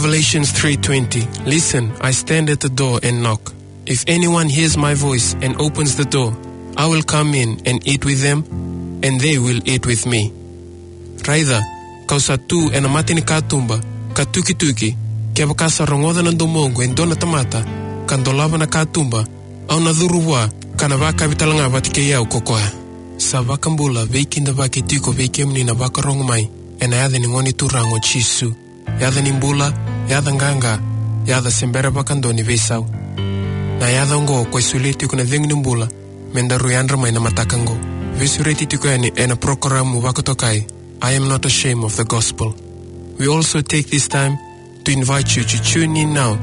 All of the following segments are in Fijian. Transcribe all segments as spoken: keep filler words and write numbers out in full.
Revelation three twenty. "Listen, I stand at the door and knock. If anyone hears my voice and opens the door, I will come in and eat with them, and they will eat with me." Raica, kau sa tu ena mata ni katuba, ka tukituki, kevaka sa rogoca na domoqu e dua na tamata, ka dolava na katuba, au na curu vua, ka na vakavi talega vata kei au ko koya. Sa vakabula, veikidavaki tiko vei kemuni na vakarogo mai, ena yaca ni Gone Turaga o Jisu. Yaca ni bula, yaca qaqa, yaca se bera vakadua ni veisau. Na yaca oqo ko e solia tiko na cegu ni bula, me daru yadra mai na mataka oqo. Veisureti tiko yani ena porokaramu vakatokai, I Am Not Ashamed of the Gospel. We also take this time to invite you to tune in now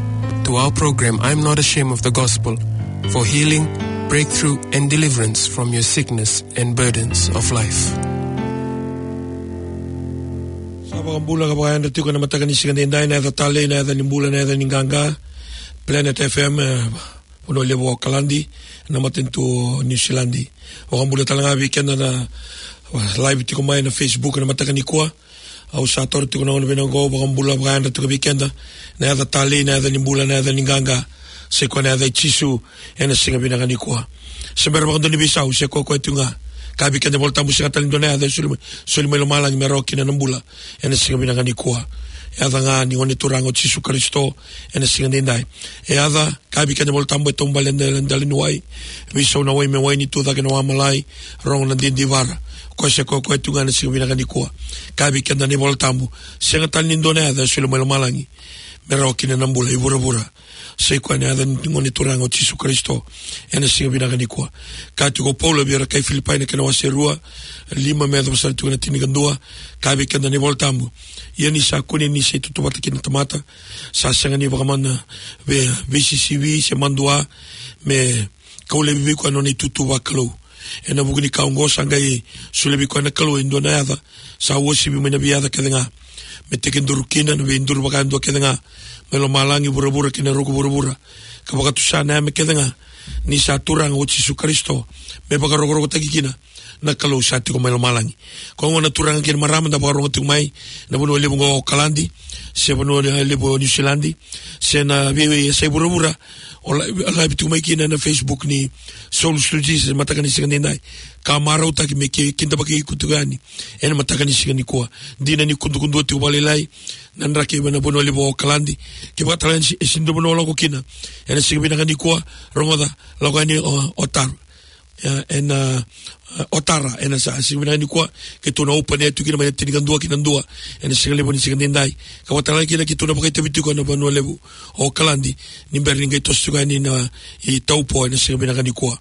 to our program, I Am Not Ashamed of the Gospel, for healing, breakthrough, and deliverance from your sickness and burdens of life. Sa vakabula ka vakayadra tiko na mataka ni siga edaidai, na yaca talei, na yaca ni bula, na yaca ni qaqa, Planet F M, eh, Vanua Levu o Okaladi, na matanitu o Niusiladi. Vakabula talega vei keda na, uh, live tiko mai na Facebook na mataka nikua. Au sa toro tiko na gauna vinaka oqo, vakabula vakayadra tiko vei keda na yaca talei, na yaca ni bula, na yaca ni qaqa, se koya na yaca i Jisu, ena siga vinaka nikua. Se bera vakadua ni veisau, se koya koya tu ga. Ka vei keda iVolatabu, sega tale ni dua na yaca e soli mai, soli mai lomalagi me rawa kina na bula, ena siga vinaka nikua. Yaca ga ni Gone Turaga o Jisu Karisito, ena siga edaidai. E yaca, ka vei keda iVolatabu, e taubale e dela, dela ni wai, veisau na wai me wai, ni tu cake na wa malai, rogo na didivara. Koya se koya koya tu ga ena siga vinaka nikua. Ka vei keda na iVolatabu, sega tale ni dua na yaca e soli mai lomalagi me rawa kina na bula i vuravura, se koya na yaca ni Gone Turaga o Jisu Karisito, ena siga vinaka nikua. Kaya tiko o Paula vei ira kai Filipai na kena wase rua, lima me yacova sara tiko na tinikadua, ka vei keda na iVolatabu. Ia ni sa kune ni se itutu vata kei na tamata, sa sega ni vakamana, vei, veisisivi se madua, me kau laivi vei koya na nona itutu vakalou. Ena vuku ni ka oqo sa qai solia vei koya na Kalou e dua na yaca sa uasivi mai na veiyaca kece ga, me tekiduru kina na veiduru vakayadua kece ga mai lomalagi, vuravura kei na ruku vuravura, ka vakatusa na yame kece ga ni sa Turaga o Jisu Karisito, me vakarokorokotaki kina na Kalou sa tiko mai lomalagi. Koya gona na turaga kei na marama da vakarogo tiko mai na Vanua Levu oqo o Okaladi, se Vanua Levu o Niusiladi, se na veiyasai vuravura o live, o live tiko mai kina na Facebook ni Soul Studios, mataka ni siga edaidai. Ka marautaki me ki-, kidavaki iko tiko yani ena mataka ni siga nikua. Dina ni kudukudua tiko vakalailai na draki mai na Vanua Levu o Okaladi. Kevaka tale ni si-, e sega ni dua na vanua o lako kina ena siga vinaka nikua, rogoca, lako yani o, o Tara. Ia, ena, e, o Tara, ena sa, siga vinaka nikua, keitou na open air tu kina mai na tinikadua ki na dua ena siga levu ni siga edaidai. Ka vakatalega kina keitou na vakaitavi tiko ena Vanua Levu o Okaladi, ni bera ni qai toso tiko yani na i Taupo ena siga vinaka nikua.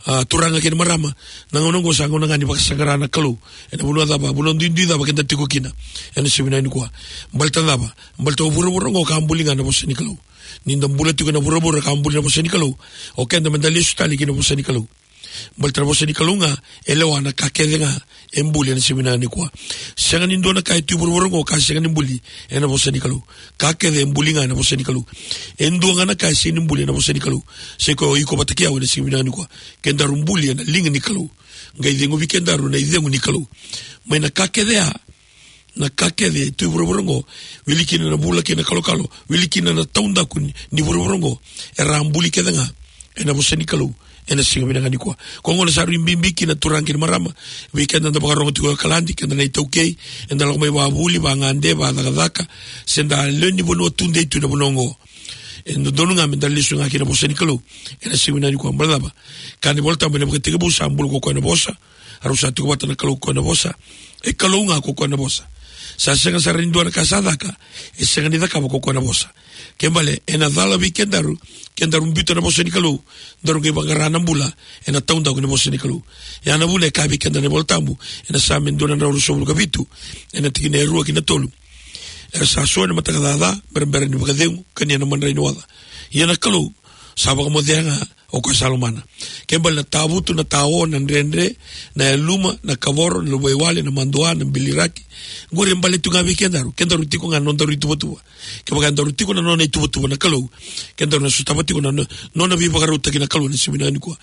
A, turaga kei na marama, na gauna oqo sa gauna ga ni vakasaqara na Kalou ena vanua cava, vanua duidui cava keda tiko kina ena siga vinaka nikua. Baleta cava? Baleta o vuravura oqo ka buli ga na vosa ni Kalou. Ni da bula tiko ena vuravura ka buli na vosa ni Kalou, o keda meda lesu tale ki na vosa ni Kalou. Baleta na vosa ni Kalou ga e lewa na ka kece ga e buli ena siga vinaka nikua. Sega ni dua na ka e tu e vuravura oqo ka sega ni buli ena vosa ni Kalou. Ka kece e buli ga ena vosa ni Kalou. E dua ga na ka e sega ni buli ena vosa ni Kalou, se koya o iko vata kei au ena siga vinaka nikua. Kedaru buli ena liga ni Kalou. Qai ceguvi kedaru na icegu ni Kalou. Mai na ka kece ya, na ka kece e tu e vuravura oqo, wili kina na vula kei na kalokalo, wili kina na taudaku ni, ni vuravura oqo, era a buli kece ga ena vosa ni Kalou ena siga vinaka nikua. Koya gona sa rui bibi kina, turaga kei na marama, vei keda da vakarogo tiko e Okaladi, keda na iTaukei, eda lako mai vakavuli, vakagade, vakacakacaka, se da lewe ni vanua tudei tu ena vanua oqo. E dodonu ga meda lesu ga ki na vosa ni Kalou ena siga vinaka nikua. Baleta cava? Kaya na iVolatabu ena Vakatekivu sa bula ko koya na Vosa, a rau sa tiko vata na Kalou ko koya na Vosa. E Kalou ga ko koya na Vosa. Sa sega sara ni dua na ka sa caka e sega ni cakava ko koya na Vosa. Kena ibalebale ena cala vei kedaru, kedaru biuta na vosa ni Kalou, daru qai vaqara na bula ena taudaku ni vosa ni Kalou. Ya na vuna e kaya vei keda na iVolatabu ena Same dua na drau ruasagavulu ka vitu, ena tikina e rua ki na tolu: Era sa so ena mataka caca, berabera ni vakacegu, kania na madrai ni oca. Ia na Kalou sa vakamocea ga o koya sa lomana. Ke bale na tavutu, na tao, na dredre, na yaluma, na kavoro, na luvaiwale, na madua, na biliraki. Qori e bale tu ga vei kedaru, kedaru tiko ga na nodaru ituvatuva. Kevaka edaru tiko na nona ituvatuva na Kalou, kedaru na sotava tiko na no-, nona veivakarautaki na Kalou ena siga vinaka nikua.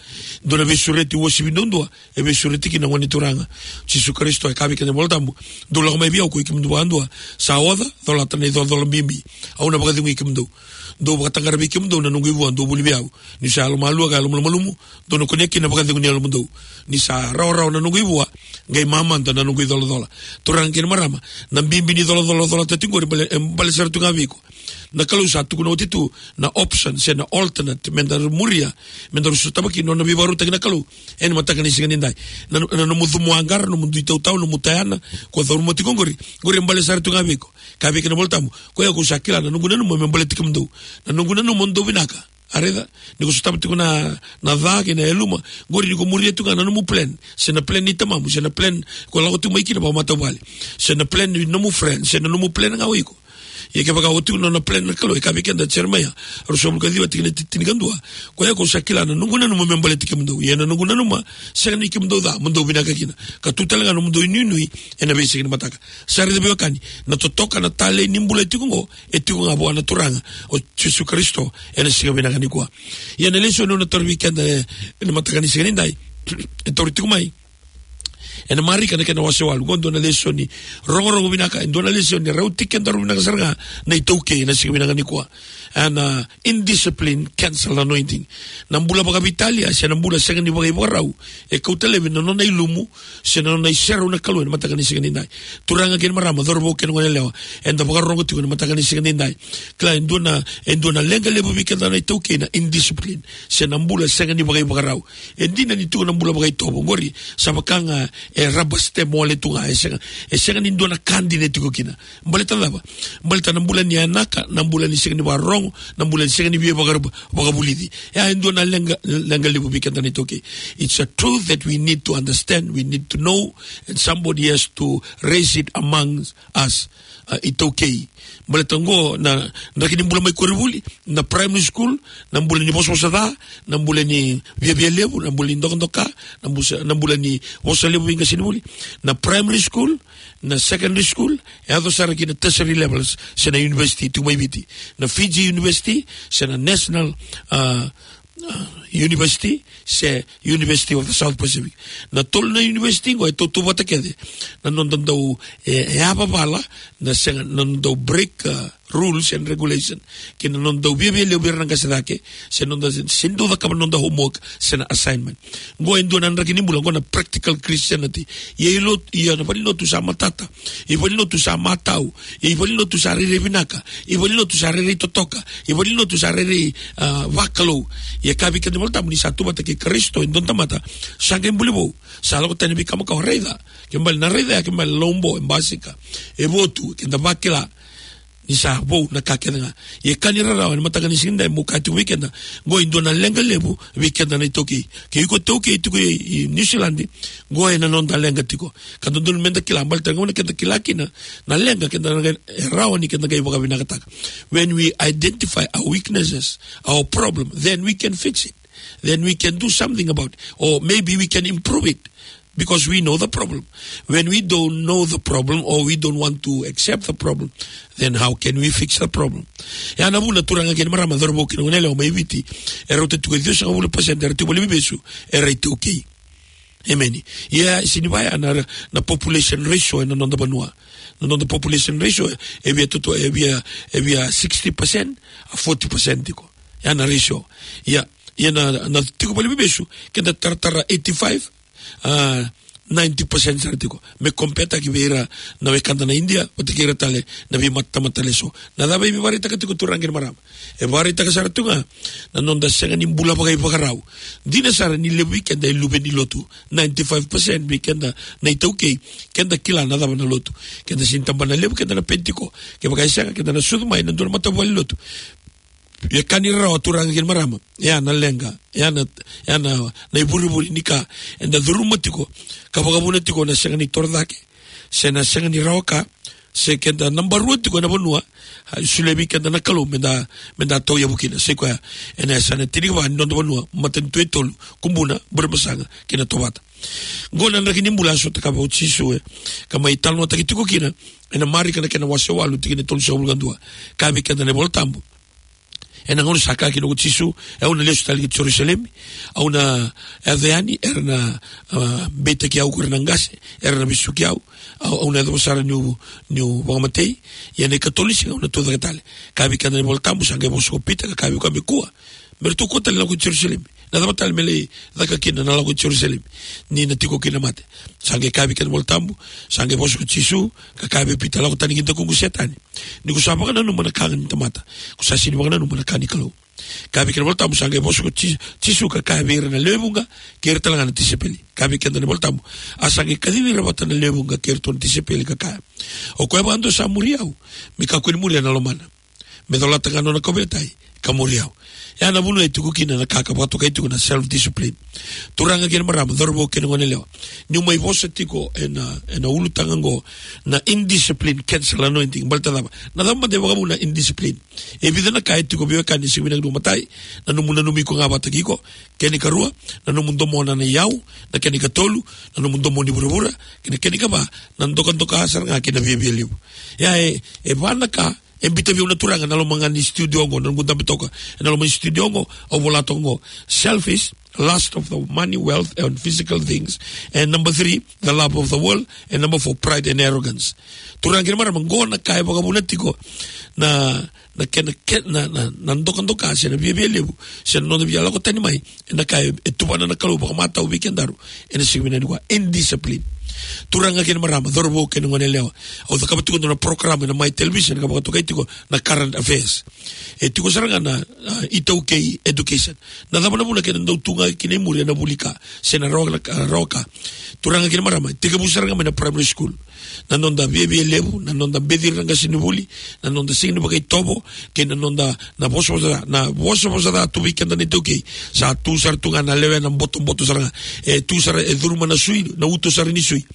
Dua na veisureti uasivi duadua e veisureti kina na Gone Turaga Jisu Karisito, e kaya vei keda na iVolatabu: Dou lako mai vei au koi kemudou vakadua sa oca, colata na icolacola bibi, au na vakacegui kemudou. Dou vakataqara vei kemudou na noqu ivua, dou vuli vei au, niu sa yalomalua ka yalomalumalumu. Dou na kunea kina na vakacegu ni yalomudou. Ni sa rawarawa na noqu ivua, qai mamada na noqu icolacola. Turaga kei na marama, na bibi ni colacolacola tiko qori e bale, e bale sara tu ga vei iko. Na Kalou sa tukuna oti tu na option se na alternate me daru muria, me daru sotava kina na nona veivakarautaki na Kalou ena mataka ni siga nidai. Na, na nomu cumu aqara, nomu dui tautau, nomu tayana ko curuma tiko qori, qori e bale sara tu ga vei iko. Kaya vei keda na iVolatabu: Koi au sa kila na noqu nanuma me baleti kemudou. Na noqu nanuma mo dou vinaka. A raica, ni ko sotava tiko na, na ca kei na yaluma, qori ni ko muria tu ga na nomu plan, se na plan ni tamamu, se na plan ko lako tu mai kina vakamatavuvale, se na plan ni nomu friend, se na nomu plan ga o iko. Ia kevaka o tu na nona plan na Kalou, e kaya vei keda Jeremaia ruasagavulu ka ciwa tikina tinikadua: Koi au sa kila na noqu nanuma me baleti kemudou, ia na noqu nanuma sega ni kemudou ca, mo dou vinaka kina, ka tu tale ga nomudou inuinui ena veisiga ni mataka. Sa raica, veiwekani, na totoka, na talei ni bula e tiko qo, e tiko ga vua na Turaga o Jisu Karisito ena siga vinaka nikua. Ia na lesoni au na tauri vei keda, e, ena mataka ni siga nidai, e tauri tiko mai ena Marika na kena wase walu. Qo dua na lesoni rogorogo vinaka, e dua na lesoni e rauti kedaru vinaka sara ga na iTaukei ena siga vinaka nikua. Ena indiscipline cancel anointing. Na bula vakaveitalia se na bula sega ni vakaivakarau e kauta laivi na nona ilumu se na nona iserau na Kalou ena mataka ni siga nidai. Turaga kei na marama, cauravou kei na goneyalewa, eda vakarorogo tiko ena mataka ni siga nidai. Kila, e dua na, e dua na leqa levu vei keda na iTaukei na indiscipline se na bula sega ni vakaivakarau. E dina ni tiko na bula vakaitovo, qori sa vaka ga e rubber stamp wale tu ga, e sega, e sega ni dua na ka dina e tiko kina. Baleta na cava? Baleta na bula ni yanaka, na bula ni sega ni vakarorogo, na bula ni sega ni via vakara-, vakavulici. E a, e dua na leqa, leqa levu vei keda na iTaukei. It's a truth that we need to understand, we need to know, and somebody has to raise it amongst us, uh, iTaukei. Baleta qo na draki ni bula mai koronivuli, na primary school, na bula ni vosavosa ca, na bula ni viavia levu, na bula ni dokadoka, na busa-, na bula ni vosa levu vei qasenivuli. Na primary school, na secondary school, e yaco sara ki na tertiary levels, se na university tu mai Viti. Na Fiji University, se na National, uh, uh, University, se University of the South Pacific. Na tolu na university qo e tautauvata kece na noda dau, e, e yavavala, na sega, na noda dau break, uh, rules and regulation, kei na noda dau viavia levu vei ira na qase cake, se noda se, se dau cakava na noda homework se na assignment. Qo e dua na draki ni bula, qo na practical Christianity. Ia i lotu, ia na valenilotu sa matata, i valenilotu sa matau, i valenilotu sa rairai vinaka, i valenilotu sa rairai totoka, i valenilotu sa rairai, ah, vakalou. Ia kaya vei keda na iVolatabu ni sa tu vata kei Karisito e dua na tamata sa qai buli vou, sa lako tani vei kama ka o raica, ke bale na raica ya, ke bale lobo, e basika, e votu, keda vakila ni sa vou na ka kece ga. Ia ka ni rarawa ena mataka ni siga nidai meu kaya tiko vei keda, qo e dua na leqa levu vei keda na iTaukei. Ke iko iTaukei tiko i, i New Zealand, qo e na noda leqa tiko. Ka dodonu meda kila, baleta ga na keda kila kina na leqa, keda na qai, e rawa ni keda qai vakavinakataka. When we identify our weaknesses, our problem, then we can fix it. Then we can do something about it. Or maybe we can improve it. Because we know the problem. When we don't know the problem or we don't want to accept the problem, then how can we fix the problem? Ya na vuna, turaga kei na marama, cauravou kei na goneyalewa mai Viti, e rauta tiko e ciwasagavulu pasede era tiko valeniveivesu era iTaukei. Emeni. Ia, sega ni vaya na, na population ratio ena noda vanua. Na noda population ratio e via toto, e via, e via sixty percent, a forty percent tiko. Ya na ratio. Ia, ia na, na tiko valeniveivesu, keda taratara eighty-five, ah, ninety percent sara tiko. Me compare-taki vei ira na wekada na Idia, vata kei ira tale na veimatamata eso. Na cava e vakaraitaka tiko, turaga kei na marama? E vakaraitaka sara tu ga na noda sega ni bula vakaivakarau. Dina sara ni levu vei keda e luve ni lotu. Ninety-five percent vei keda na iTaukei, keda kila na cava na lotu. Keda sega ni tabana levu, keda na Penitiko. Kevaka e sega, keda na sucu mai na dua na matavuvale ni lotu. Ia ka ni rarawa, turaga kei na marama, ia na leqa, ia na, ia na, na ivurevure ni ka eda curuma tiko, ka vakavuna tiko na sega ni torocake, se na sega ni rawa ka, se keda naba rua tiko ena vanua, a, solia vei keda na Kalou meda, meda tauyavu kina. Sa i koya ena yasana tinikava ni noda vanua, matanitu e tolu, Kubuna, Burebasaga kei na Tovata. Qo na draki ni bula a sotakaya o Jisu, e, ka mai talanoataki tiko kina ena Marika na kena wase walu, tikina e tolusagavulu ka dua. Kaya vei keda na iVola Tabu, ena gauna sa kaya kina ko Jisu, e, au na lesu tale ki Jerusalemi, au na yaco yani, era na, a, beitaki au ko ira na qase, era na vesuki au, au, au na yacova sara niu, niu vakamatei, ia na ikatolu ni siga au na tucake tale. Kaya vei keda na iVola Tabu, sa qai vosa ko Pita, ka kaya vei koya me kua, me ratou kua tale lako i Jerusalemi. Na cava tale me lai caka kina na lako i Jerusalemi ni na tiko kina na mate? Sa qai kaya vei keda na iVola Tabu, sa qai vosa ko Jisu, ka kaya vei Pita, lako tani ki dakuqu Setani. Ni ko sa vakananuma na ka ga ni tamata, ko sa sega ni vakananuma na ka ni Kalou. Kaya vei keda na iVola Tabu, sa qai vosa ko Ji-, Jisu ka kaya vei ira na lewe vuqa kei ira tale ga na tisaipeli. Kaya vei keda na iVola Tabu, a sa qai kacivi ira vata na lewe vuqa kei iratou na tisaipeli ka kaya, o koya vakadua sa muri au, me kakua ni muria na lomana, me colata ga na nona kauveilatai, ka muri au. Ia na vanua e tiko kina na ka ka vakatokai tiko na self-discipline. Turaga kei na marama, cauravou kei na goneyalewa, niu mai vosa tiko ena, ena ulutaga oqo, na indiscipline cancel anointing. Baleta na cava? Na cava mada e vakavuna na indiscipline? E vica na ka e tiko, veiwekani, sega ni vinaka ni matai. Na nomu nanumi iko ga vakataki iko. Kena ikarua, na nomu domona na iyau. Na kena ikatolu, na nomu domona ni vuravura. Kei na kena ikava, na dokadoka sara ga kei na viavialevu. Ia e, e va na ka e biuta vei au na Turaga ena loma ga ni studio oqo, na noqu dabe toka ena loma ni studio oqo, au vola toka oqo: selfish, lust of the money, wealth and physical things, and number three, the love of the world, and number four, pride and arrogance. Turaga kei na marama, qo na ka e vakavuna tiko na, na kena, ke-, na, na, na dokadoka se na viavialevu, se na noda via lako tani mai ena ka e, e tuvana na Kalou vakamatau vei kedaru ena siga vinaka nikua, indiscipline. Turaga kei na marama, cauravou kei na goneyalewa, au cakava tiko e dua na program ena Mai Television ka vakatokai tiko na current affairs. E tiko sara ga na, a, iTaukei education. Na cava na vuna keda dau tu ga kina i muri ena vuli ka, se na rawa, na, a, rawa ka? Turaga kei na marama, e tekivu sara ga mai na primary school. Na noda viavialevu, na noda beciri na qasenivuli, na noda sega ni vakaitovo, kei na noda, na vosavosa, na vosavosa ca tu vei keda na iTaukei. Sa tu sara tu ga na lewena botoboto sara ga. E tu sara, e curuma na sui, na uto sara ni sui.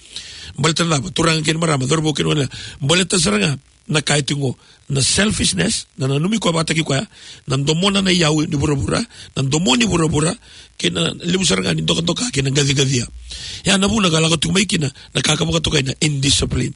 Baleta na cava? Turaga kei na marama, cauravou kei na goneyalewa, baleta sara ga na ka e tiko oqo, na selfishness, na nanumi koya vakataki koya, na domona na iyau ni vuravura, na domona ni vuravura, kei na levu sara ga ni dokadoka kei na qaciqacia. Ia na vuna ka lako tiko mai kina na ka ka vakatokai na indiscipline.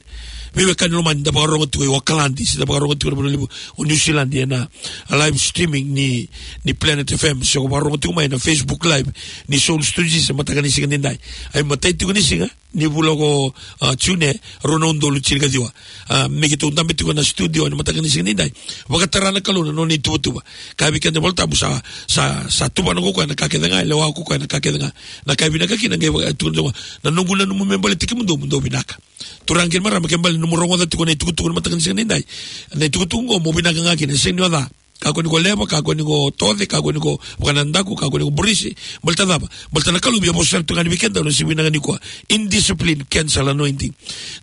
Veiwekani lomani, da vakarorogo tiko i Okaladi, se da vakarorogo tiko ena vanua levu o New Zealand ena live streaming ni, ni Planet F M, se ko vakarorogo tiko mai ena Facebook Live ni Soul Studios ena mataka ni siga nidai. Ai matai tiko ni siga ni vula ko, a, June, rua na udolu tinikaciwa. A, me keitou dabe tiko ena studio ena mataka ni siga nidai, vakatara na Kalou na nona ituvatuva. Kaya vei keda na iVola Tabu, sa, sa, sa tuvana ko koya na ka kece ga, e lewa ko koya na ka kece ga. Na ka e vinaka kina qai vaka, e tukuna tiko, na noqu nanuma me baleti kemudou, mo dou vinaka. Turaga kei na marama, ke bale nomu rogoca tiko na itukutuku ena mataka ni siga nidai, na itukutuku oqo mo vinaka ga kina, e sega ni o ca. Kakua ni ko leva, kakua ni ko toce, kakua ni ko vakanadaku, kakua ni ko burisi. Baleta na cava? Baleta na Kalou via vosa sara tu ga yani vei keda ena siga vinaka nikua. Indiscipline cancel anointing.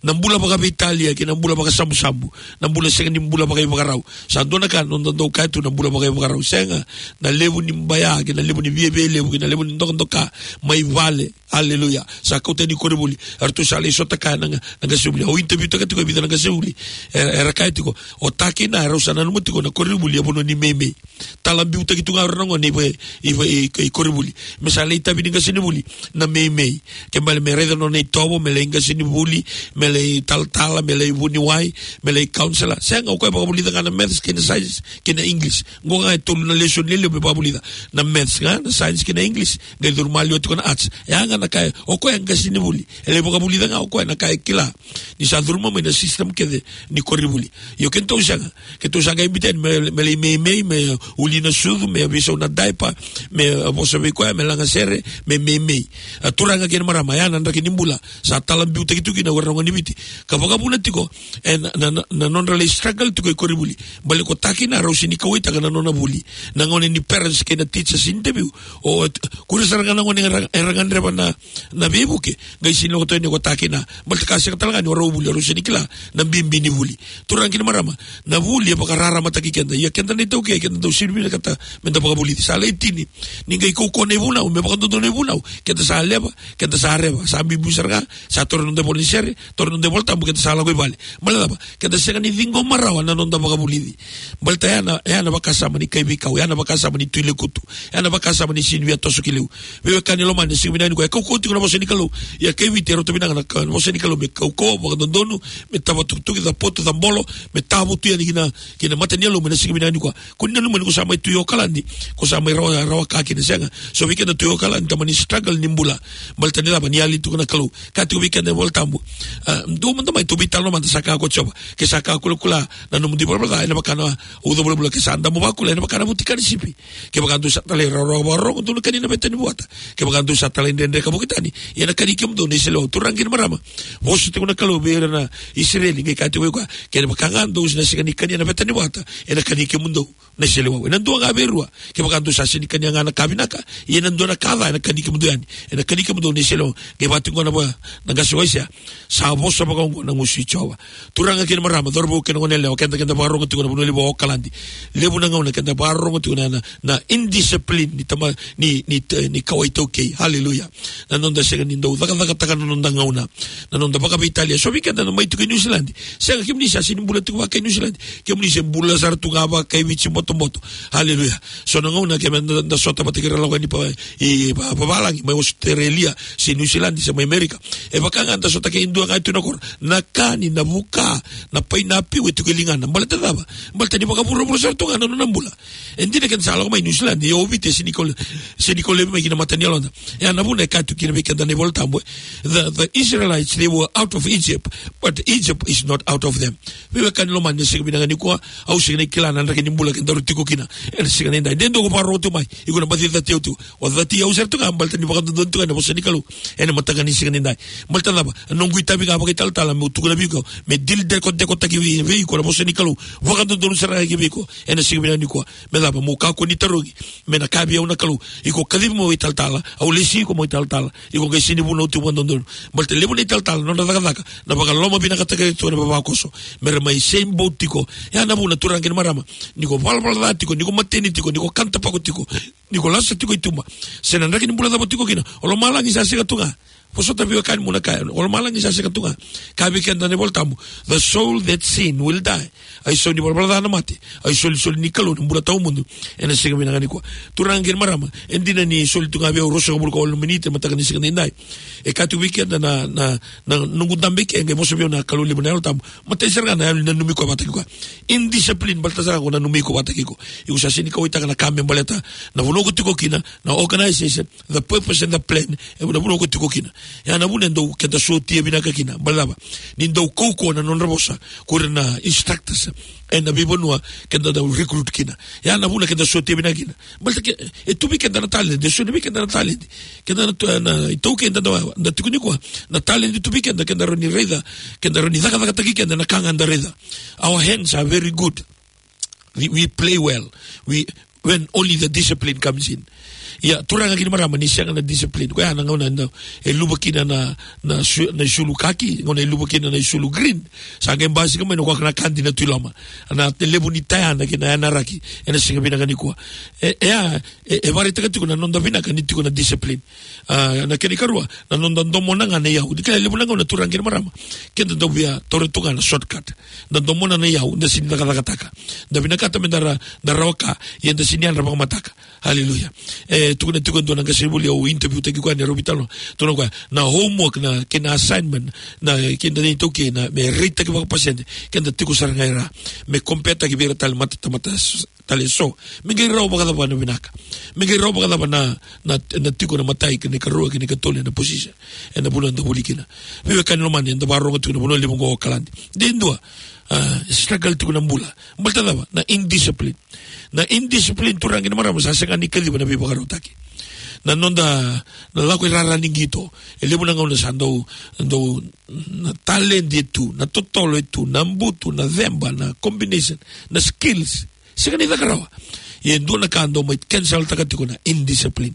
Na bula vakaveitalia kei na bula vakasabusabu, na bula sega ni bula vakaivakarau. Sa dua na ka na noda dau kaya tu, na bula vakaivakarau. Sega, na levu ni baya kei na levu ni viavialevu kei na levu ni dokadoka mai vale. Aleluya. Sa kauta yani koronivuli. Eratou sa lai sota kaya na, na qasenivuli. Au interview taka tiko e vica na qasenivuli. Era, era kaya tiko, o ta kei na, erau sa nanuma tiko na koronivuli e vanua ni meimei. Tala biutaki tu ga o ira na gone i va-, i va-, i, i koronivuli. Me sa lai itavi ni qasenivuli na meimei. Ke bale me raica na nona itovo, me lai qasenivuli, me lai talatala, me lai vuniwai, me lai counselor. Sega, o koya e vakavulica ga na maths kei na science kei na English. Qo ga e tolu na lesoni lelevu me vakavulica. Na maths ga, na science kei na English. Qai curu maliwa tiko na arts. E a ga na ka e, o koya e qasenivuli. E lai vakavulica ga o koya na ka e kila. Ni sa curuma mai na system kece ni koronivuli. Io, keitou sega. Keitou sa qai biuta yani me, me lai meimei, me uli na sucu, me veisau na diaper, me vosa vei koya, me lagasere, me meimei. A, turaga kei na marama, ya na draki ni bula sa tala biutaki tu kina o ira na gone ni Viti. Ka vakavuna tiko e na, na, na, na nodra lai struggle tiko i koronivuli. Baleta ko ta kei na, rau sega ni kauwaitaka na nona vuli. Na gauna ni parents kei na teachers interview, o, o ira sara ga na gone era, era gadreva na, na veivuke, qai sega ni lako tu yani ko ta kei na. Baleta ka sega tale ga ni o rau vuli, o rau sega ni kila na bibi ni vuli. Turaga kei na marama, na vuli e vakararamataki keda. Ia keda na ITaukei, keda dau sega ni vinakata meda vakavulici. Sa lai tini, ni qai kaukauwa na ivunau, me vakadodonu na ivunau, keda sa leva, keda sa reva, sa biubiu sara ga, sa taura na noda ivola ni sere, taura na noda iVolatabu, keda sa lako i vale. Baleta na cava? Keda sega ni ciqoma rawa na noda vakavulici. Baleta ya na, ya na vakasama ni kaiveikau, ya na vakasama ni tu i lekutu, ya na vakasama ni sega ni via toso ki liu. Veiwekani lomani, ena siga vinaka nikua, e kaukauwa tiko na vosa ni Kalou. Ia kai Viti e rauta vinaka na ka, na vosa ni Kalou me kaukauwa, vakadodonu, me tavatukutuki, capotu, cabolo, me tavutu yani ki na, ki na mata ni yalo, me na siga vinaka nikua. Ko ni nanuma ni ko sa mai tu i Okaladi, ko sa mai rawa, rawa ka kina, sega. So vei keda tu i Okaladi, tamani struggle ni bula. Baleta ni cava? Ni yali tiko na Kalou. Kaya tiko vei keda na iVolatabu. A, dou mada mai, tou veitalanoa mada, sa kaya ko Jiova. Ke sa ka kulakula na nomudou ivalavala ca, ena vaka na uca vulavula, ke sa damu vakakula, ena vaka na vutika ni sipi. Kevaka dou sa talairawarawa vakarorogo, dou na kania na veta ni vuata. Kevaka dou sa talaidredre ka vuki tani, ia ena kani kemudou na iseleiwau. Turaga kei na marama, vosa tiko na Kalou vei ira na Isireli, qai kaya tiko vei koya, kevaka ga dou na sega ni kania na veta ni vuata, ena kani kemudou na iseleiwau. Ena dua ga vei rua. Kevaka dou sa sega ni kania ga na ka vinaka, ia ena dua na ka ca ena kani kemudou yani. Ena kani kemudou na iseleiwau. Qai vaka tiko na va, na qase o Aisea. Sa vosa vakaoqo na gusu i Jiova. Turaga kei na marama, cauravou kei na goneyalewa, keda, keda vakarorogo tiko na vanua levu o Okaladi. Levu na gauna keda vakarorogo tiko na, na, na indiscipline ni tama, ni, ni, ni kawa iTaukei. Haleluya. Na noda sega ni dau cakacakataka na noda gauna. Na noda vakaveitalia. So vei keda na mai tiko i Niusiladi. Sega, kemuni sa sega ni bula tiko vaka i Niusiladi. Kemuni se bula sara tu ga vaka i Viti botoboto. Haleluya. So na gauna keda da, da sota vata kei ira lako yani pa, i, pa, pa valagi, mai Australia, se Niusiladi, se mai Amerika. E vaka ga da sota kei dua ga e tu na koro. Na kani, na vuka, na painapiu e tiko e ligana. Baleta na cava? Baleta ni vakavuravura sara tu ga na nona bula. E dina keda sa lako mai Niusiladi, ia o Viti e sega ni kau le-, sega ni kau laivi mai ki na mata ni yaloda. E ya na vuna e kaya tu kina vei keda na iVolatabu, e. The, the Israelites, they were out of Egypt, but Egypt is not out of them. Veiwekani lomani, ena siga vinaka nikua, au sega ni kila na draki ni bula kedaru tiko kina ena siga nidai. De dua ko vakarorogo tu mai, iko na baci cati au tu. O cati au sara tu ga, baleta ni vakadodonu tu ga na vosa ni Kalou ena mataka ni siga nidai. Baleta na cava? Noqu itavi ga vakaitalatala meu tukuna vei iko, me dil dekodekotaki vei, vei iko na vosa ni Kalou. Vakadodonu sara ga ki vei iko ena siga vinaka nikua. Me cava? Mo kakua ni tarogi. Me na kaya vei au na Kalou, iko kacivi mai o italatala, au lesi iko mai o italatala. Iko qai sega ni vunau tiko vakadodonu. Baleta levu na italatala, nodra cakacaka na vakalomavinakataki ira tu na vavakoso, me ra mai same boat tiko. Ya na vuna, turaga kei na marama, ni ko valavala ca tiko, ni ko mateni tiko, ni ko kana tapako tiko, ni ko lasa tiko i tuba, se na draki ni bula cava o tiko kina, o lomalagi sa sega tu ga. Vosota, veiwekani, mo na kaya, o lomalagi sa sega tu ga. Kaya vei keda na iVolatabu, the soul that sin will die. A isau ni valavala ca na mate. A isolisoli ni Kalou na bula tawamudu. Ena siga vinaka nikua, turaga kei na marama, e dina ni soli tu ga vei au ruasagavulu ka walu na miniti ena mataka ni siga nidai. E kaya tu vei keda na, na, na noqu dabe i ke, qai vosa vei au na Kalou levu na Yalo Tabu. Matai sara ga na yalo ni nanumi koya vata kei koya. Indiscipline, baleta sara ga ko nanumi iko vata kei iko. Iko sa sega ni kauwaitaka na ka me baleta na vanua ko tiko kina, na organization, the purpose and the plan, e na vanua ko tiko kina. Ya na vuna e dau keda sotia vinaka kina. Baleta na cava? Ni dau kaukauwa na nodra vosa ko ira na instructors ena veivanua keda dau recruit kina. Ya na vuna keda sotia vinaka kina. Baleta ke, e tu vei keda na talent, e solia vei keda na talent. Keda na, na, iTaukei da, da, da tiko nikua. Na talent e tu vei keda, keda rawa ni raica, keda rawa ni cakacakataki keda na ka ga da raica. Our hands are very good. We, we play well. We, when only the discipline comes in. Ia, turaga kei na marama, ni sega na discipline, koya na gauna e luva kina na, na su-, na isulu kaki, gauna e luva kina na isulu green. Sa qai basika mai na koya na kadi na tu i loma. Na levu ni tayana kei na yanaraki ena siga vinaka nikua. E, e a, e, e vakaraitaka tiko na noda vinaka ni tiko na discipline. A, na kena ikarua, na noda domona ga na iyau. Ni kila, levu na gauna, turaga kei na marama, keda dau via taura tu ga na shortcut. Da domona na iyau, da sega ni cakacakataka. Da vinakata me da ra-, da rawa ka, ia da sega ni yadra vakamataka. Haleluya. E tukuna tiko e dua na qasenivuli au interview taki koya ni rau veitalanoa. Tukuna koya, na homework, na kena assignment, na keda na iTaukei, na me raitaki vakapasede, keda tiko sara ga i ra. Me compare taki vei ira tale mata, tamata s-, tale so. Me qai rawa vakacava na vinaka? Me qai rawa vakacava na, na, na tiko na imatai kei na ikarua kei na ikatolu ena position? Ena vanua eda vuli kina. Veiwekani lomani, eda vakarorogo tiko na vanua levu oqo o Okaladi. De dua, a, struggle tiko na bula. Baleta na cava? Na indiscipline. Na indiscipline, turaga kei na marama, sa sega ni kaciva na veivakarautaki. Na noda, na lako i rara ni qito. E levu na gauna sa dau, dau, na talent e tu, na totolo e tu, na butu, na ceba, na combination, na skills. Sega ni caka rawa. Ia e dua na ka dau mai cancel-taka tiko na indiscipline.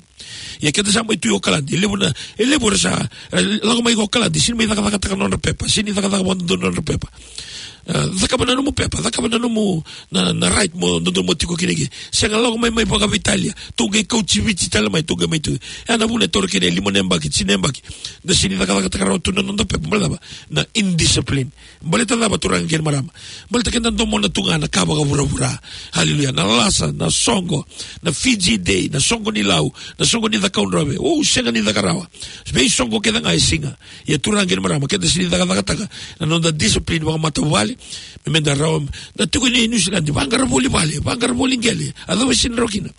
Ia keda sa mai tu i Okaladi, e levu na, e levu era sa, e, lako mai i Okaladi, sega ni mai cakacakataka na nodra pepa, sega ni cakacaka vakadodonu na nodra pepa. E, cakava na nomu pepa, cakava na nomu, na, na right mo dodonu mo tiko kina ke. Sega, lako mai, mai vakaveitalia, tou qai kauti Viti tale mai, tou qai mai tu. E, na vuna e taura kina e lima na yabaki, tini na yabaki, da sega ni cakacakataka rawa tu na noda pepa, baleta na cava? Na indiscipline. Baleta na cava, turaga kei na marama? Baleta keda domona tu ga na ka vakavuravura. Haleluya. Na lasa, na soqo, na Fiji Day, na soqo ni Lau, na soqo ni Cakaudrove. O, sega ni caka rawa. Veisoqo kece ga e siga. Ia turaga kei na marama, keda sega ni cakacakataka na noda discipline vakamatavuvale. Me, meda rawa, na tiko i Niusiladi, vaqara voli vale, vaqara voli qele. A cava e sega ni rawa kina?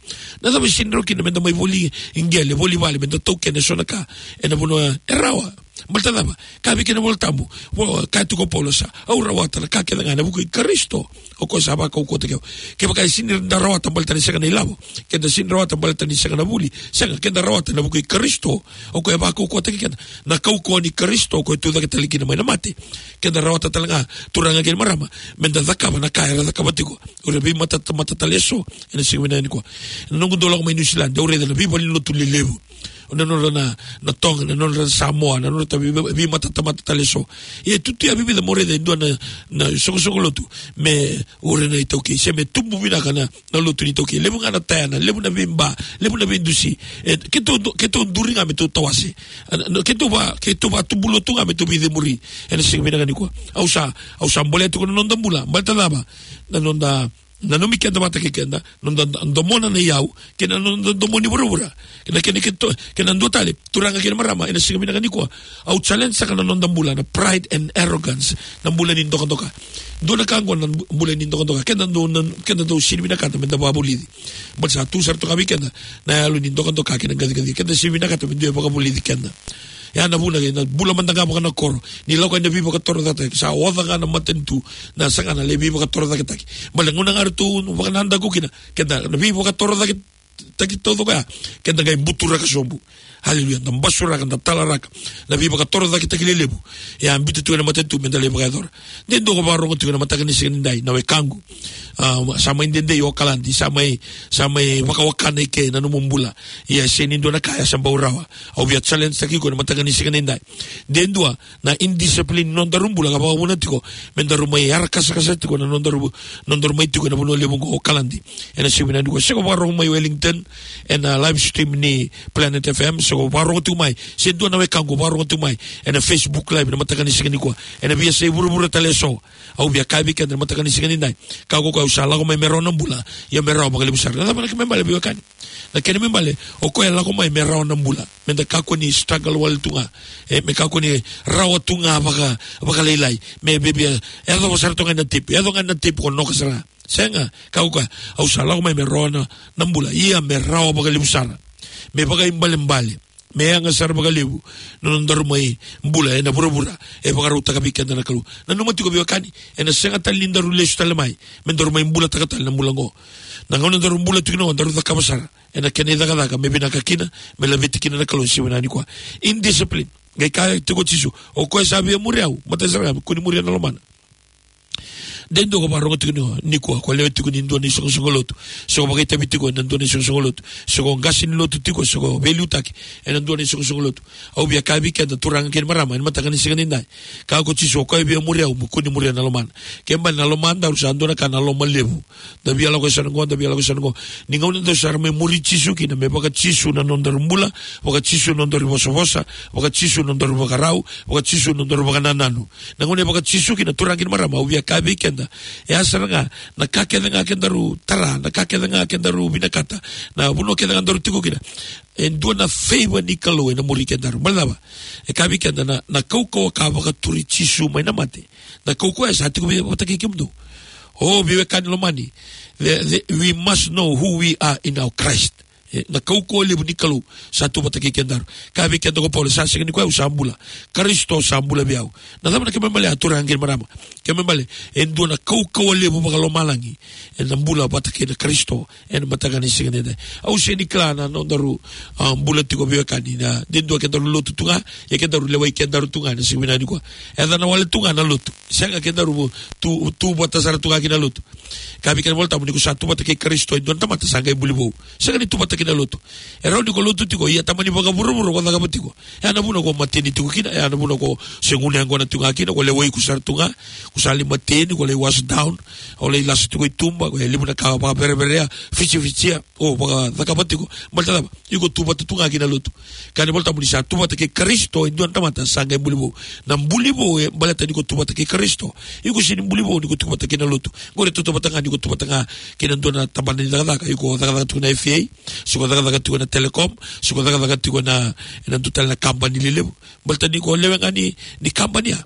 Na cava e sega ni rawa kina meda mai voli qele, voli vale, meda taukena eso na ka ena vanua e rawa? Baleta na cava? Kaya vei keda na iVolatabu, vo, kaya tiko o Paula, sa, au rawata na ka kece ga ena vuku i Karisito, o koya sa vakaukauwataki au. Kevaka e sega ni da rawata baleta ni sega na ilavo, keda sega ni rawata baleta ni sega na vuli, sega, keda rawata ena vuku i Karisito, o koya e vakaukauwataki keda. Na kaukauwa ni Karisito, o koya e tucake tale kina mai na mate, keda rawata tale ga, turaga kei na marama, meda cakava na ka era cakava tiko o ira na veimatatamata tale eso ena siga vinaka nikua. Ena noqu dau lako mai Niusiladi, au raica na veivalenilotu lelevu. O na nodra na, na Toga, na nodra na Samoa, na nodra ta vei, veimatatamata tale eso. Ia e tu tu ya e vica mo raica e dua na, na soqosoqo lotu me ure na iTaukei, se me tubu vinaka na, na lotu ni iTaukei. Levu ga na tayana, levu na veiba, levu na veidusi. E, keitou du-, keitou duri ga me tou tawase. A, na, keitou va, keitou vakatubu lotu ga me tou veicemuri ena siga vinaka nikua. Au sa, au sa bolea tiko na noda bula. Baleta na cava? Na noda nanumi keda vata kei keda, noda do-, domona na iyau, kei na noda domoni vuravura. Kei na, kei na, kei to-, kei na dua tale, turaga kei na marama, ena siga vinaka nikua, au challenge-taka na noda bula, na pride and arrogance, na bula ni dokadoka. Dua na ka oqo na bu-, bula ni dokadoka. Keda dau, na, keda dau sega ni vinakata meda vakavulici. Baleta sa tu sara toka vei keda na yalo ni dokadoka kei na qaciqacia. Keda sega ni vinakata me dua e vakavulici keda. Ya na vuna, na bula mada ga vakanakoro, ni lako ena veivakatorocaketaki, sa oca ga na matanitu, na saga na lai veivakatorocaketaki. Baleta na gauna ga ratou vakanadaku kina, keda na veivakatorocaketaki taucoko ya, keda qai buturaka sobu. Haleluya. Da basuraka, da talaraka na veivakatorocaketaki lelevu. Ya biuta tu ena matanitu meda lai vakayacora. De dua ko vakarorogo tiko ena mataka ni siga nidai, na wekaqu. A, sa mai dede i Okaladi, sa mai, sa mai vakawakana i ke na nomu bula. Ia e sega ni dua na ka ya sa bau rawa. Au via challenge-taki iko ena mataka ni siga nidai. De dua na indiscipline ni nodaru bula ka vakavuna tiko me daru mai yarakasakasa tiko na nodaru, nodaru mai tiko ena vanua levu oqo o Okaladi. Ena siga vinaka nikua, se ko vakarorogo mai Wellington ena live stream ni Planet F M, se ko vakarorogo tiko mai, se dua na wekaqu vakarorogo tiko mai ena Facebook Live ena mataka ni siga nikua, ena veiyasai vuravura tale eso. Au via kaya vei keda ena mataka ni siga nidai, ka ko, ko au sa lako mai me rawa na bula, ia me rawa vakalevu sara. Na cava na kena ibalebale, veiwekani? Na kena ibalebale, o koya e lako mai me rawa na bula, meda kakua ni struggle wale tu ga, e, me kakua ni rawa tu ga vaka, vakalailai, me vevia, e yacova sara tu ga ena tepi, e yaco ga ena tepi, ko noka sara ga. Sega, ka ko, ko au sa lako mai me rawa na, na bula, ia me rawa vakalevu sara, me vakaibalebale, me yaga sara vakalevu na nodaru mai bula ena vuravura e vakarautaka vei keda na Kalou. Nanuma tiko, veiwekani, ena sega tale ni daru lesu tale mai me daru mai bulataka tale na bula oqo. Na gauna daru bula tiko kina oqo, daru cakava sara ena kena icakacaka me vinaka kina, me laveti kina na Kalou ena siga vinaka nikua. Indiscipline. Qai kaya tiko o Jisu, o koya sa via muri au, matai sara ga me kua ni muria na lomana. De dua ko vakarorogo tiko ni, nikua, ko lewe tiko ni dua na isoqosoqo lotu, se ko vakaitavi tiko ena dua na isoqosoqo lotu, se ko qase ni lotu tiko, se ko veiliutaki ena dua na isoqosoqo lotu. Au via kaya vei keda, turaga kei na marama, ena mataka ni siga nidai, kaya ko Jisu, o koya via muri au, me kua ni muria na lomana. Kena ibalebale na lomadaru sa dua na ka na loma levu. Da via lako e sa na qo, da via lako e sa na qo. Ni gauna daru sa mai muri Jisu kina, me vaka-Jisu na nodaru bula, vaka-Jisu na nodaru vosavosa, vaka-Jisu na nodaru vakarau, vaka-Jisu na nodaru vakanananu. Na gauna e vaka-Jisu kina, turaga kei na marama, au via kaya vei keda, e ya sara ga na ka kece ga kedaru tara, na ka kece ga kedaru vinakata, na vanua kece ga daru tiko kina, e dua na favor ni Kalou ena muri kedaru. Baleta na cava? E kaya vei keda na, na kaukauwa ka vakaturi Jisu mai na mate. Na kaukauwa e sa tiko vei, vata kei kemudou. O, veiwekani lomani, the, the, we must know who we are in our Christ. E, na kaukauwa levu ni Kalou sa tu vata kei kedaru. Kaya vei keda ko Paula, sa sega ni koya au sa bula, Karisito sa bula vei au. Na cava na kena ibalebale, a turaga kei na marama? Kena ibalebale, e dua na kaukauwa levu vakalomalagi ena bula vata kei na Karisito ena mataka ni siga nidai. Au sega ni kila na nodaru, a, bula tiko, veiwekani, na de dua kedaru lotu tu ga, ia kedaru lewai kedaru tu ga ena siga vinaka nikua. E yaco na wale tu ga na lotu. Sega, kedaru tu, tu vata sara tu ga ki na lotu. Kaya vei keda na iVolatabu, ni ko sa tu vata kei Karisito e dua na tamata, sa qai buli vou. Sega ni tu vata kei na lotu. E rawa ni ko lotu tiko, ia tamani vakavuravura ko cakava tiko. E ya na vuna ko mateni tiko kina, e ya na vuna ko se gunu yaqona tu ga kina, ko lewai, ko sara tu ga, ko sa lai mateni, ko lai wash down, o lai lasu tiko i tuba, ko e levu na ka vakavereverea, fitifiti, o vakacakava tiko. Baleta cava? Iko tu vata tu ga ki na lotu. Kaya na iVolatabu, ni sa tu vata kei Karisito e dua na tamata, sa qai buli vou. Na buli vou e baleta ni ko tu vata kei Karisito. Iko sega ni buli vou ni ko tu vata kei na lotu. Qori e tautauvata ga ni ko tu vata ga kei na dua na tabana ni cakacaka. Iko cakacaka tiko na F A, se ko cakacaka tiko na Telecom, se ko cakacaka tiko na, na dua tale na kabani lelevu. Baleta ni ko lewe ga ni, ni kabani ya.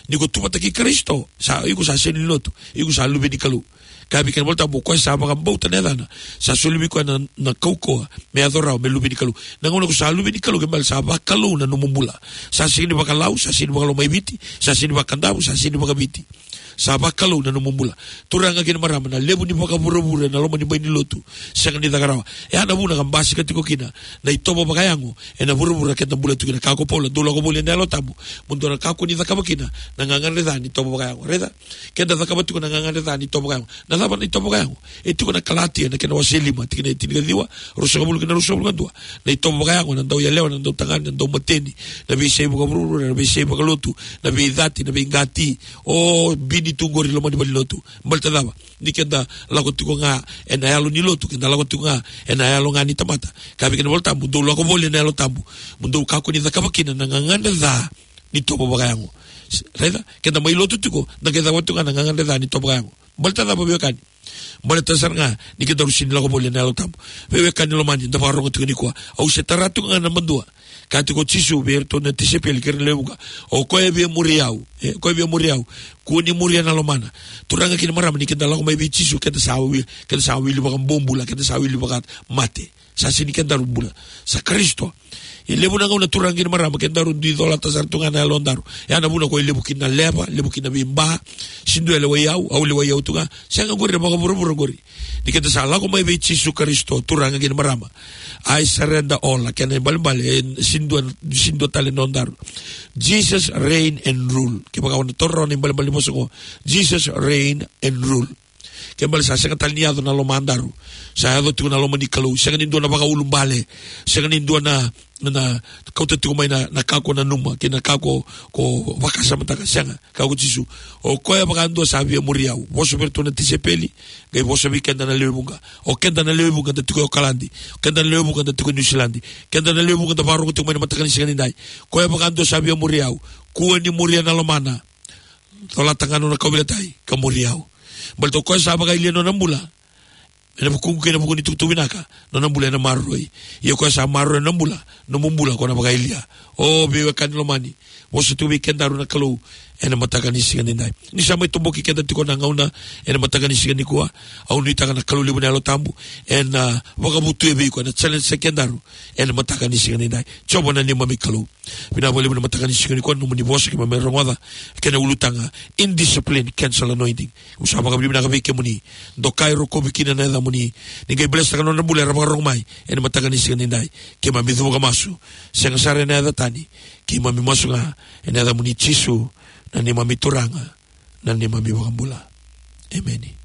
Ni ko tu vata kei Karisito, sa, iko sa sega ni lotu, iko sa luve ni Kalou. Kaya vei keda na iVolatabu, o koya sa vakabauta na yacana, sa soli vei koya na, na kaukauwa me yaco rawa me luve ni Kalou. Na gauna ko sa luve ni Kalou, kena ibalebale sa vakalou na nomu bula. Sa sega ni vakaLau, sa sega ni vakalomaiviti, sa sega ni vakaKadavu, sa sega ni vakaViti. Sa vakalou na nomu bula. Turaga kei na marama, na levu ni vakavuravura ena loma ni bai ni lotu, sega ni caka rawa. E ya na vuna ka basika tiko kina na itovo vakayago ena vuravura keda bula tu kina. Kaya ko Paula, dou lako voli ena Yalo Tabu, mo dou na kakua ni cakava kina na gagadre ca ni tovo vakayago. Raica, keda cakava tiko na gagadre ca ni tovo vakayago. Na cava na itovo vakayago? E tiko na Kalatia, na kena wase lima, tikina e tinikaciwa, ruasagavulu kei na ruasagavulu ka dua. Na itovo vakayago, na dauyalewa, na dautagane, na daumateni, na veisei vakavuravura, na veisei vakalotu, na veicati, na veiqati. O bini tu qori loma ni valenilotu. Baleta cava? Ni keda lako tiko ga ena yalo ni lotu, keda lako tiko ga ena yalo ga ni tamata. Kaya vei keda na iVolatabu, dou lako voli ena Yalo Tabu, mo dou kakua ni cakava kina na gagadre ca ni tovo vakayago. S-, raica, keda mai lotu tiko, da qai cakava tiko ga na gagadre ca ni tovo vakayago. Baleta cava, veiwekani? Baleta sara ga ni kedaru sega ni lako voli ena Yalo Tabu. Veiwekani lomani, da vakarorogo tiko nikua. Au se tara tiko ga na madua. Kaya tiko o Jisu vei iratou na tisaipeli kei ira na lewe vuqa, o koya e via muri au, e, o koya e via muri au, kua ni muria na lomana. Turaga kei na marama, ni keda lako mai vei Jisu, keda sa wi-, keda sa wili vakabobula, keda sa wili vakamate. Sa sega ni kedaru bula, sa Karisito. E levu na gauna, turaga kei na marama, kedaru dui colata sara tu ga na yalodaru. E ya na vuna ko e levu kina na leva, levu kina na veiba. Sega ni dua e lewai au, au lewai au tu ga. Sega, qori na vakavuravura qori. Ni keda sa lako mai vei Jisu Karisito, turaga kei na marama, I surrender all, na kena ibalebale, e, sega ni dua, sega ni dua tale na nodaru. Jesus reign and rule. Kevaka o na taura rawa na ibalebale ni vosa qo, Jesus reign and rule. Kena ibalebale sa sega tale ni yaco na lomadaru. Sa yaco tiko na loma ni Kalou. Sega ni dua na vakaulubale. Sega ni dua na, na kauta tiko mai na, na ka ko nanuma kei na ka ko, ko vakasamataka. Sega. Kaya ko Jisu, o koya vakadua sa via muri au, vosa vei iratou na tisaipeli, qai vosa vei keda na lewe vuqa. O keda na lewe vuqa da tiko e Okaladi, o keda na lewe vuqa da tiko e Niusiladi, keda na lewe vuqa da vakarorogo tiko mai na mataka ni siga nidai. Koya vakadua sa via muri au, kua ni muria na lomana. Colata ga nona kauveilatai ka muri au. Baleta o koya sa vakayalia nona bula ena vukuqu kei na vuku ni tukutuku vinaka, nona bula ena maroroi. Ia o koya sa maroroya na bula, nomu bula ko na vakayalia. O veiwekani lomani, vosa tu vei kedaru na Kalou ena mataka ni siga nidai. Ni sa mai toboki keda tiko na gauna ena mataka ni siga nikua, au nuitaka na Kalou levu na Yalo Tabu ena, ah, vakavutuya vei iko, ena challenge-taki kedaru ena mataka ni siga nidai. Jiova na neimami Kalou, vinaka vakalevu na mataka ni siga nikua, nomuni vosa keimami rogoca, kena ulutaga, indiscipline cancel anointing. Au sa vakavinavinaka vei kemuni, dokai, rokovi kina na yacamuni. Ni qai bless-taka na nodra bula era vakarorogo mai ena mataka ni siga nidai. Keimami cuva ka masu, sega sara ena yaca tani, keimami masu ga ena yacamuni Jisu, na neimami Turaga, na neimami iVakabula. Emeni.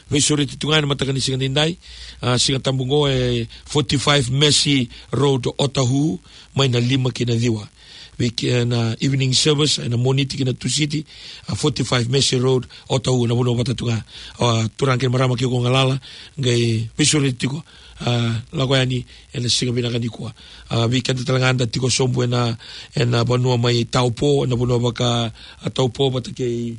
Veisureti tu ga ena mataka ni siga nidai, ah, Sigatabu oqo e forty-five Massey Road, Otahuhu, mai na lima ki na ciwa. Vei ke-, na evening service ena Moniti kei na Tusiti, ah, forty-five Massey Road, Otahuhu, na vanua vata tu ga. Ah, turaga kei na marama, ke o galala, qai veisureti tiko, ah, lako yani ena siga vinaka nikua. Ah, vei keda tale ga da tiko sobu ena, ena vanua mai Taupo, ena vanua vaka, ah, Taupo vata kei,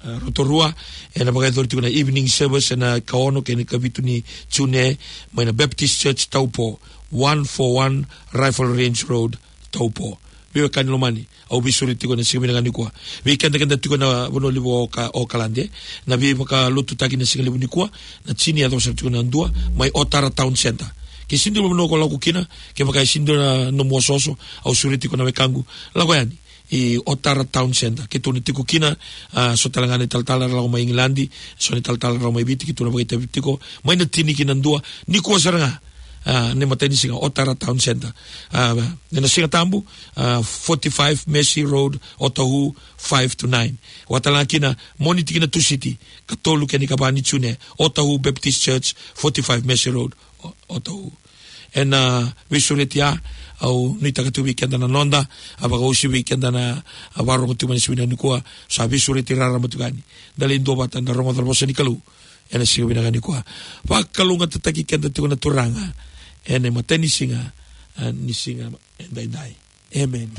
ah, Rotorua, ena vakayacori tiko na evening service ena ikaono kei na ikavitu ni June, mai na Baptist Church Taupo, one four one Rifle Range Road, Taupo. Veiwekani lomani, au veisureti tiko ena siga vinaka nikua. Vei keda, keda tiko na vanua levu o Ka-, Okaladi, na veivakalotutaki na siga levu nikua, na tini e yaco sara tiko na dua, mai Otara Town Centre. Ke sega ni dua na vanua ko lako kina, kevaka e sega ni dua na nomu osooso, au sureti tiko na wekaqu, lako yani i Otara Town Centre. Keitou na tiko kina, a, so tale ga na italatala era lako mai Igiladi, so na italatala era lako mai Viti, keitou na vakaitavi tiko, mai na tini ki na dua, nikua sara ga, a, na imatai ni siga, Otara Town Centre. A, ena Siga Tabu, a, forty-five Mercy Road, Otahuhu, five to nine. Vaka tale ga kina, Moniti ki na Tusiti, katolu ki na ikava ni June, Otahuhu Baptist Church, forty-five Mercy Road, O-, Otahuhu. Ena veisureti ya, au nuitaka tu vei keda na noda, a, vakaosi vei keda na, a, varogo tu mai na siga vinaka nikua, sa veisureti raraba tu ga yani. Da lai duavata, da rogoca na vosa ni Kalou ena siga vinaka nikua. Vakalougatataki keda tiko na Turaga ena imatai ni siga, a, ni siga edaidai. Emeni.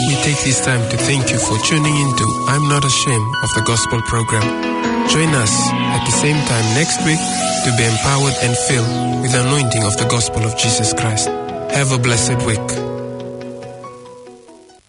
We take this time to thank you for tuning in to I'm Not Ashamed of the Gospel program. Join us at the same time next week to be empowered and filled with the anointing of the gospel of Jesus Christ. Have a blessed week.